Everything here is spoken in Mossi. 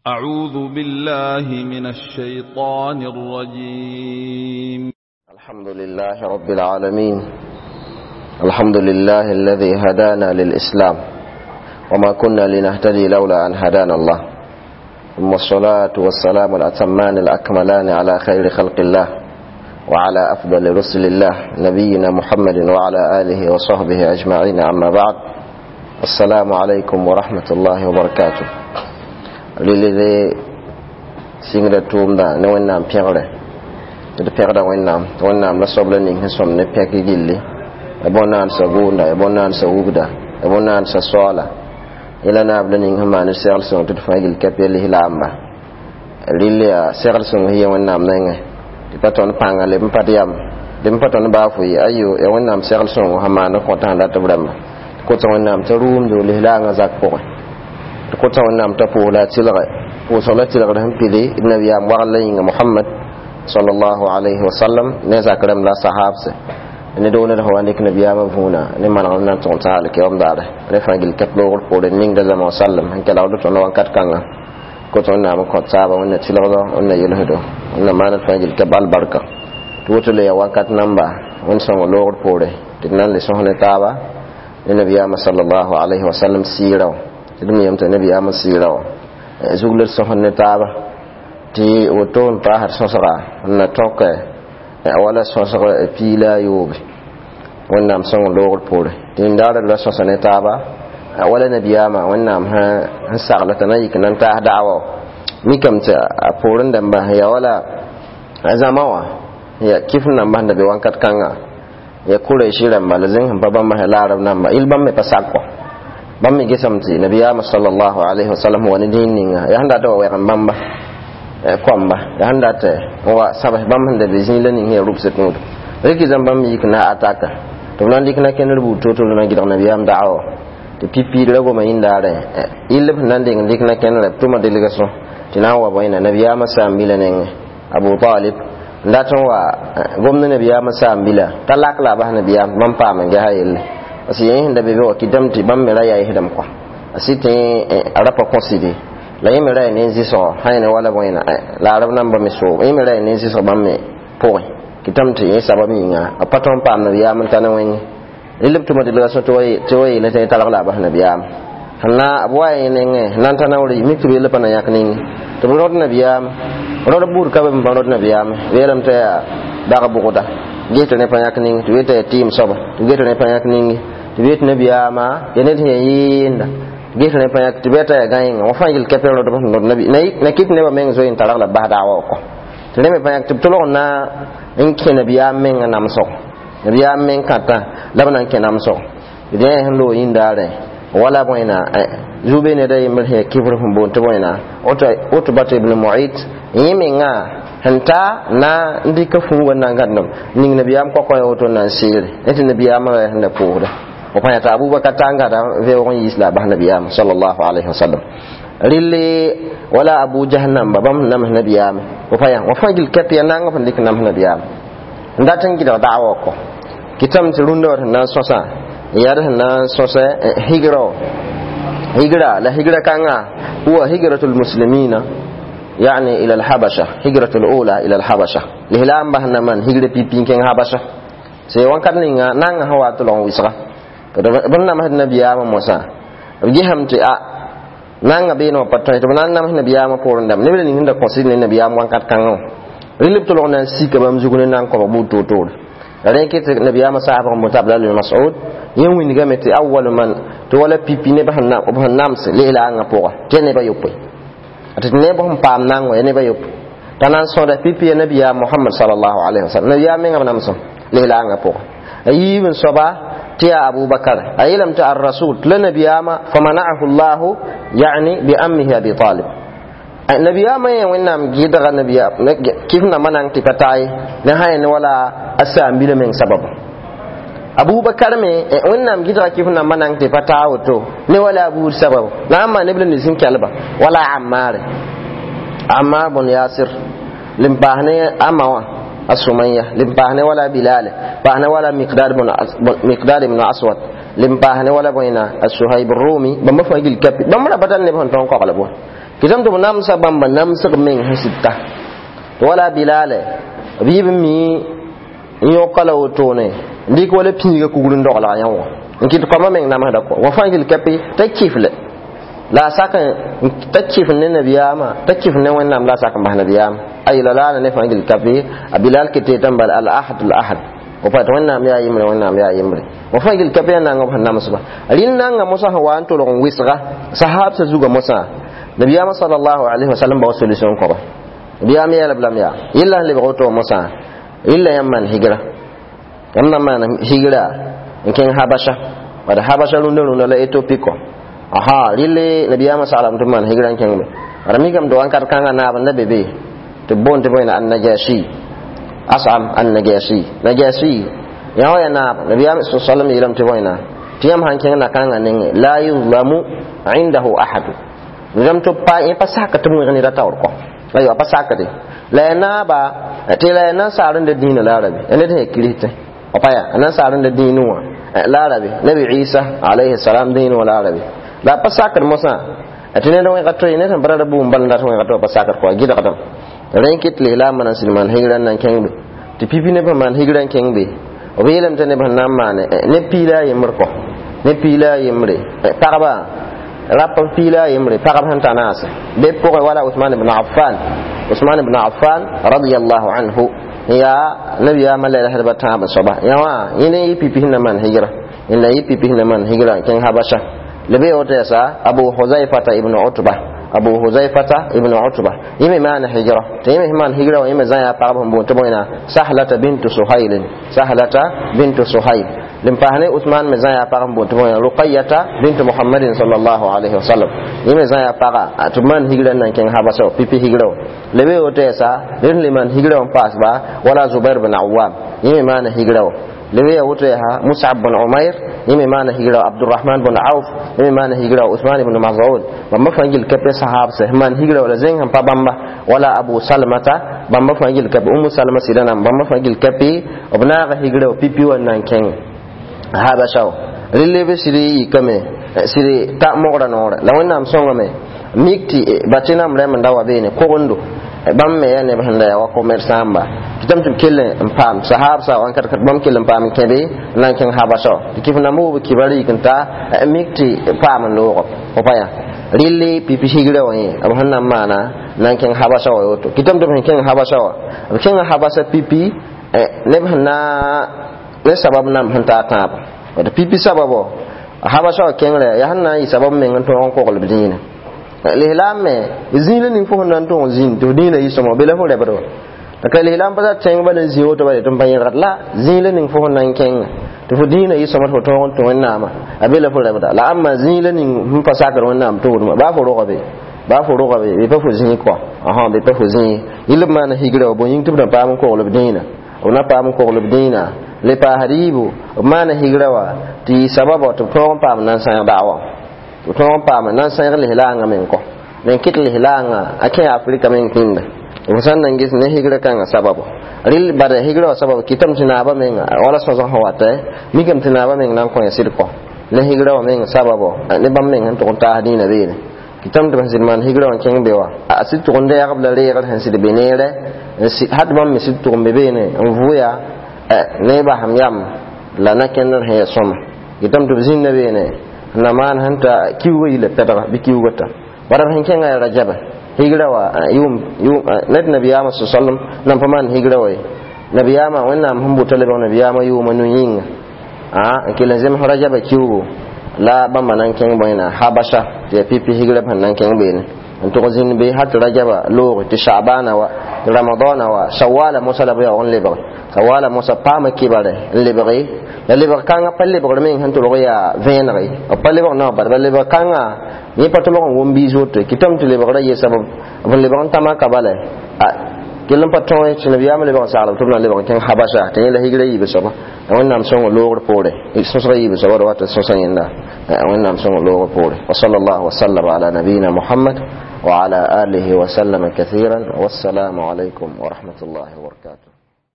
أعوذ بالله من الشيطان الرجيم. الحمد لله رب العالمين، الحمد لله الذي هدانا للإسلام وما كنا لنهتدي لولا أن هدانا الله، ثم الصلاة والسلام الأتمان الأكملان على خير خلق الله وعلى أفضل رسل الله نبينا محمد وعلى آله وصحبه أجمعين، أما بعد، السلام عليكم ورحمة الله وبركاته. Lilide sɩngda tʋʋmda ne Wẽnnaam pẽgre tɩ d pẽgda Wẽnnaam tɩ Wẽnnaam la soab la ning sẽn sõm ne pẽk gilli ya bõn-naandsã gʋʋnda ya bõn-naandsã wugda ya bõn-naandsã soaala yẽ la naab la ning sẽn maan segl sõng tɩ d fãa gill ka pe lislaamba rɩl yaa segl sõng sẽn yɛ Wẽnnaam nengẽ tɩ pa tõnd pãnga leb n pa d yam leb n pa tõnd baa fo ye ayo ya Wẽnnaam segl sõngo sẽn maand n kõt sẽn dat b rãmba tɩ kotã Wẽnnaam t'a rʋʋmdo lislaangã zak pʋgẽ tɩ kotã Wẽnnaam t'a pʋʋs la a tɩlge pʋʋsg la tɩlgd sẽn pidi d nabiyaam wagl la yĩnga Mohamad sallallahu alayhi wa sallam ne zak rãmb la sahabse ne dooned sã wa dɩk nabiyaamã võona ne manegem na n tõg t'a alkiyoom daare ne fãa gill ka loogr poore ninga zãma wa sallam sẽn kelgd tõnd wãnkat kãnga kot Wẽnnaam n kõt taaba Wẽnna tɩlgdo Wẽnna yelsdo Wẽnna maaned fãa gill ka albarka tɩ woto le yaa wakat namba Wẽnd sõngo loogr poore tɩ d nan le sõs ne taaba ne nabiyaamã sallallahu alayhi wa sallam sɩɩra wã tɩ d me yam tɩ nabiyaamã sɩɩra wã zug la d sõs ne taaba tɩ woto n paasd sõsga n na tõk wala sõsg piila a yoobe Wẽnnaam sõng loogr poore tɩ yĩndaard la sõsa ne taaba wala nabiyaamã Wẽnnaam sẽn sagla t'a na yik na n taas daawa mikame tɩ a poorẽ dãmba ya wala a zãma wã ya kɩf namba sẽn da be wãnkat kãnga ya Kuraishi rãmba la zẽng sẽn pa bãmba sã la arab namba yɩl bãmb me pa sak kɔ bãmb me gesame tɩ nabiyaamã sallallahu alayhi wa sallam wa ne dĩin ninga yaa sẽn dat wa wɛgem bãmba koamba yaa sẽn dat n wa sabs bãmb sẽn da be zĩig la ning sẽn yaa rubsã tũud rɩk zãm bãmb yik na ataka tɩ b na n dɩk na kẽndr buud to-to na gɩdg nabiyaam daawa tɩ pipiid ra goma yĩndaarẽ yɩll b sẽn na n deng dɩk na kẽndrã b tʋma delga sõ tɩ na n wa bõe nabiyaamã saam-bilã nengẽ Abu Talib n dat n wa gomd nabiyaamã saam-bilã t'a lak la a bas nabiyaam bãmb paam n gesa yelle parce que yẽ sẽn da be be wa kɩtame tɩ bãmb me ra yaɩsdame kɔa a sɩ tɩ a ra pa kõsɩde la yẽ me ra yaa ne zɩsgɔ sã yẽ wala bõe la arab namba me soog yẽ me ra yaa ne zɩsg bãmb me pʋgẽ kɩtame tɩ yẽ sabab yĩnga a pa tõnd paam nabiyaam n ta ne wẽnge rɩl b tʋma delga sõ tɩ wa yeele tɩ talg la a bas nabiyaam sẽn na b wa yẽ nengẽ sẽn na n ta naoor mik tɩ b yella pa na yãk ninge tɩ b rõd nabiyaam rõd buud ka be b pa rõd nabiyaam b yeelame tɩ yaa dag bʋgda ges tɩ ne pa yãk ninge tɩ b yetɩ yaa tɩɩm soaba tɩ b ges tɩ ne pa yãk ninge tɩ b yetɩ nabiyaamã yaa ned sẽn yaa yɩɩnda ges tɩ ne pa yãk tɩ b yeta yaa gãenga wã fãa yel kɛpɛ rõdb sẽn rõd nabi na kɩt nebã meng zoe n targ la b bas daawa wã kɔ tɩ rẽ me pa yãk tɩ b tolg n na n kẽ nabiyaam menga namsg nabiyaam meng kãtã la b na n kẽ namsg d yẽ sẽn loog yĩndaarẽ wala bõena zu-be ned a yembr sẽn yaa kifr sẽn boond tɩ bõena Utbat ibn Mu'it yẽ mengã sẽn ta na n dɩka fuuga n na n gãdem ning nabiyaam kɔkɔ ya woto n na n seere ne tɩ nabiyaamã ra sẽn da pʋʋsda b pa yã t'a Abubakar ta n gãda vɛoog n yiis la a bas nabiyaam sallallahu alayhi wa sallam rɩlle wala Abu Jahl namba bãmb sẽn nams nabiyaame b pa yã wã fãa gill kɛp ya naang b sẽn dɩk nams nabiyaam n dat n gɩdg daawa wã kɔ kɩtame tɩ rũndã wã sẽn na n sõsã yaa d sẽn na n sõsɛ higra higra la higra kãngã huwa higratu lmuslimina yani ila alhabasha higratu lula ila alhabasha lislaam bas na man higra pipi n kẽng habasha sɩ wãnkat ninga nanga sẽn wa tɩ lg n wɩsga b namsd nabiyaamã mosã b gesame tɩ a nanga beene wã pa tõe tɩ b na n nams nabiyaamã poorẽ dãmb neb la ning sẽn da kõsd ne nabiyaam wãnkat kãngã wã rɩl b tʋlg na n sika bãmb zug ne na n kõbg buud toor-toore la rẽ ket nabiyaamã saabg n boota Abdal ibn Mas'ud yẽ wingame tɩ awal man tɩ wala pipi neb sẽn nams lislaangã pʋga tɩ ya neb a yopoe tɩ neb sẽn paam nang wã ya neb a yopoe t'a na n sõda pipi ya nabiyaam Mohamad sallallahu alayhi wa sallam nabiyaam mengã b namsem lislaangã pʋga a yiib n soaba tɩ yaa Abubakar a yeelame tɩ ar-rasul tɩ la nabiyaamã famana'ahu llahu yani bi ammihi Abi Talib nabiyaamã yẽ Wẽnnaam gɩdga nabiyaam kɩf nambã na n tɩ pa taa ye ne sã yẽ wala a saam-bilã meng sababu Abubakar me Wẽnnaam gɩdga kɩf nambã na n tɩ pa taa woto ne wala a buud sababu la n maa neb la nins sẽn kelba wala Ammar Ammar bn Yasir lem paas ne a ma wã a Sumaya lem paas ne wala Bilal paas ne wala Miqdad ibn Aswad lem paas ne wala bõena a Suhaib Rumi bãmba fãa gil kapi bãmb ra pa tar neb sẽn tõog n kogl bõe Kɩtame tɩ b namsa bãmba namsg meng sẽn sɩdta. Wala Bilale b yɩ b mi n yõka la wotone n dɩk wala pĩiga kugr n dogla yã wã n kɩt koamã meng namsda kɔ wa fãa gil kape t'a kifle la a sak t'a kif ne nabiyaamã t'a kif ne Wẽnnaam la a sak n bas nabiyaam ay la laana ne fãa gil kape a Bilal kete tɩ n bal al ahad al ahad o pa tɩ Wẽnnaam yaa yembre, Wẽnnaam yaa yembre. Wa fãa gil kape yaa nanga b sẽn namsba rɩl nanga mosã sẽn wa n tolg n wɩsga sahaabsã zugã mosã nabiyaamã sallallahu alaihi wasallam bao solution kõba. Nabiyaam yeelb lame yaa yella sẽn lebg woto mosã yella yãmb maan higra, yãmb na maan higra n kẽng Habasha, bad Habasha rũndã rũndã la Ethiopie kɔ. Aha, rɩle nabiyaamã saglame tɩ b maan higra n kẽng be. Bara mikame tɩ wãnkat kãngã naab n da be be tɩ b boond tɩ bõe Annajashi, Asam Annajashi, Najashi yã wã ya naab. Nabiyaam sallam yeelame tɩ bõe tɩ yãmb sãn kẽng na-kãngã nengẽ la yuzlamu indahu ahadu rãmb tɩ pa yẽ pa sak tɩ b wẽg ned a taoor kɔ ayo a pa sakde la ya naaba tɩ la ya nasaar n da dĩinã la arabi ned sẽn ya kiristẽ pa ya nasaar n da dĩinẽ wã la arabi Nabi Isa alayhi salam dĩinẽ wã la arabi la pa sakd mosã tɩ ned wẽga toe ned sẽn brada buum bal n dat wẽga to pa sakd kɔ a gɩdgdame rẽ kɩt lislaambã na n sɩd maan higra n na n kẽng be tɩ pipi neb sẽn maan higra n kẽng be b yeelame tɩ neb sẽn na n maane ne piila a yembr kɔ ne piila a yembre pagba rap b piila a yembre pagb sẽn ta naase be pʋgẽ wala Usman ibn Affan, Usman ibn Affan radiyallahu anhu yaa nabiyaamã la lasdba tãab soaba yã wã yẽ yɩ pipi sẽn na maan higra n la yɩ pipi sẽn na maan higra n kẽng Habasha la be woto yasa Abu Huzaifata ibn Utba, Abu Huzaifata ibn Utba yẽ me maana hijra tɩ yẽ me sẽn maan higra wã yẽ me zã yaa pagb sẽn boond tɩ bõe Sahlata bintu Suhail, Sahlata bintu Suhail. Lin paas ne Usman me zã yaa pag n boond tɩ bõe Ruqayyata bintu Muhammadin sallallahu alaihi wasallam yẽ me zã yaa paga tɩ b maan higra n na n kẽng Habasa wã pipi higra wã la be woto yɛsa ned sẽn le maan higra wã n paas ba wala Zubair bin Awam yẽ me maana higra wã la be ya woto yaa Musab bin Umair yẽ me maana higra wã Abdurrahman bin Auf yẽ me maana higra wã Usman ibn Maz'un bãmba fãa gil ka pe sahabsã sẽn maan higra wã la zẽng sẽn pa bãmba wala Abu Salmata bãmba fãa gil ka pe Umu Salma sɩda nam bãmba fãa gil ka pe b naaga higra wã pipi wã n na n kẽng Habasha wã rɩl b sɩd yikame sɩd ta mogra noorã la Wẽnnaam sõngame mik tɩ batɩnam rɛm n da wa beene kogendo bãmb me yaa neb sẽn da yaa wa commerçant-ba tɩ tɩ b kell n paam sahaabsã wãnkat bãmb kell n paam n kẽ be n na n kẽng Habasha wã tɩ kɩf namba wob kibar yik n ta mik tɩ paam n loog fo pa yaa rɩle pipi higra wã yẽ b sẽn na n maana n na n kẽng Habasha wã woto kɩtame tɩ b sẽn kẽng Habasha wã b kẽnga Habasha pipi neb sẽn na ne sabab nam sẽn taa tãabo tɩ pipi sababo Habasha wã kẽngrã yaa sẽn na n yɩ sabab meng n tõog n kogl b dĩinã lislaam me zĩig la ning fo sẽn na n tõog zĩnd tɩ f dĩinã yɩ sõma be la fo rɛbd wa la ka lislaam pa tẽng bala n zĩ woto bala tɩ n pa yẽlgd la zĩig la ning fo sẽn na n kẽnga tɩ fo dĩinã yɩ sõma tɩ fo tõog n tũ Wẽnnaamã a be la fo rɛbda la ãmba zĩig la ning sẽn pa sakd Wẽnnaam tʋʋdmã baa fo roga be baa fo roga be be pa fo zĩig kɔ ãsã be pa fo zĩig yɩl b maana higra wa bõe yĩng tɩ b na paam n kogl b dĩinã b na paam n kogl b dĩinã le paasd yiibu b maana higra wa tɩ yɩ sababa tɩ b tõog n paam n na n sãeg daawa b tõog n paam n na n sãeg lislaangã meng kɔ men kɩt lislaangã a kẽ Afrika meng pĩnda f sãn na n ges ne higra kãngã sababo rɩl bada higra wã sabab kɩtame tɩ naabã menga wala sõsg sẽn wata mikame tɩ naabã meng na n kõ sɩd kɔ ne higra wã meng sababo ne bãmb meng sẽn tʋg n taas dĩinã beene kɩtame tɩ b sẽn sɩd maan higra wã n kẽng be wã a sɩd tʋg n dɛɛgb la reegr sẽn sɩd be neerɛ hat bãmb me sɩd tʋg n be beene n vʋya ne basem yam la na kẽndr sẽn ya sõma kɩtame tɩ b zĩnda beene na maan sẽn ta kiuugã yila pɛdga bɩ kiuugã ta bara b sẽn kẽngã ya rajaba higra wã yʋʋm ned nabiyaamã sallam nan pa maan higra wa ye nabiyaamã Wẽnnaam sẽn bʋta lebg nabiyaamã yʋʋma nu yĩnga n kell n zems rajaba kiuugu la bãmba na n kẽng bõe Habasha tɩ yaa pipi higra b sẽn na n kẽng beene n tʋg zĩnd be hat rajaba loog tɩ Sha'bana wa tɩ Ramadana wa Shawala mosa la b yaoog n lebge Shawala mosa paama kibare n lebge la lebg kãngã pa lebgr meng sẽn tʋlg yaa vẽeneg ye b pa lebg naoor bala lebg kãngã yẽ pa tʋlg n wʋm biis woto kɩtame tɩ lebgrã ye sabab b lebg n tama ka bala kell n pa tõe tɩ nabiyaamã lebg n saglb tɩ b na n lebg n kẽng Habasha tɩ yẽ la higra yiibã soaba Wẽnnaam sõngo loogr poore sõsga yiibã soaba d wat n sõsa yẽnda Wẽnnaam sõngo loogr poore wa sallallahu wa sallam ala nabiyina Muhammad wa ala alihi wa sallama kathiran wassalamu alaykum wa rahmatullahi wa barakatuh.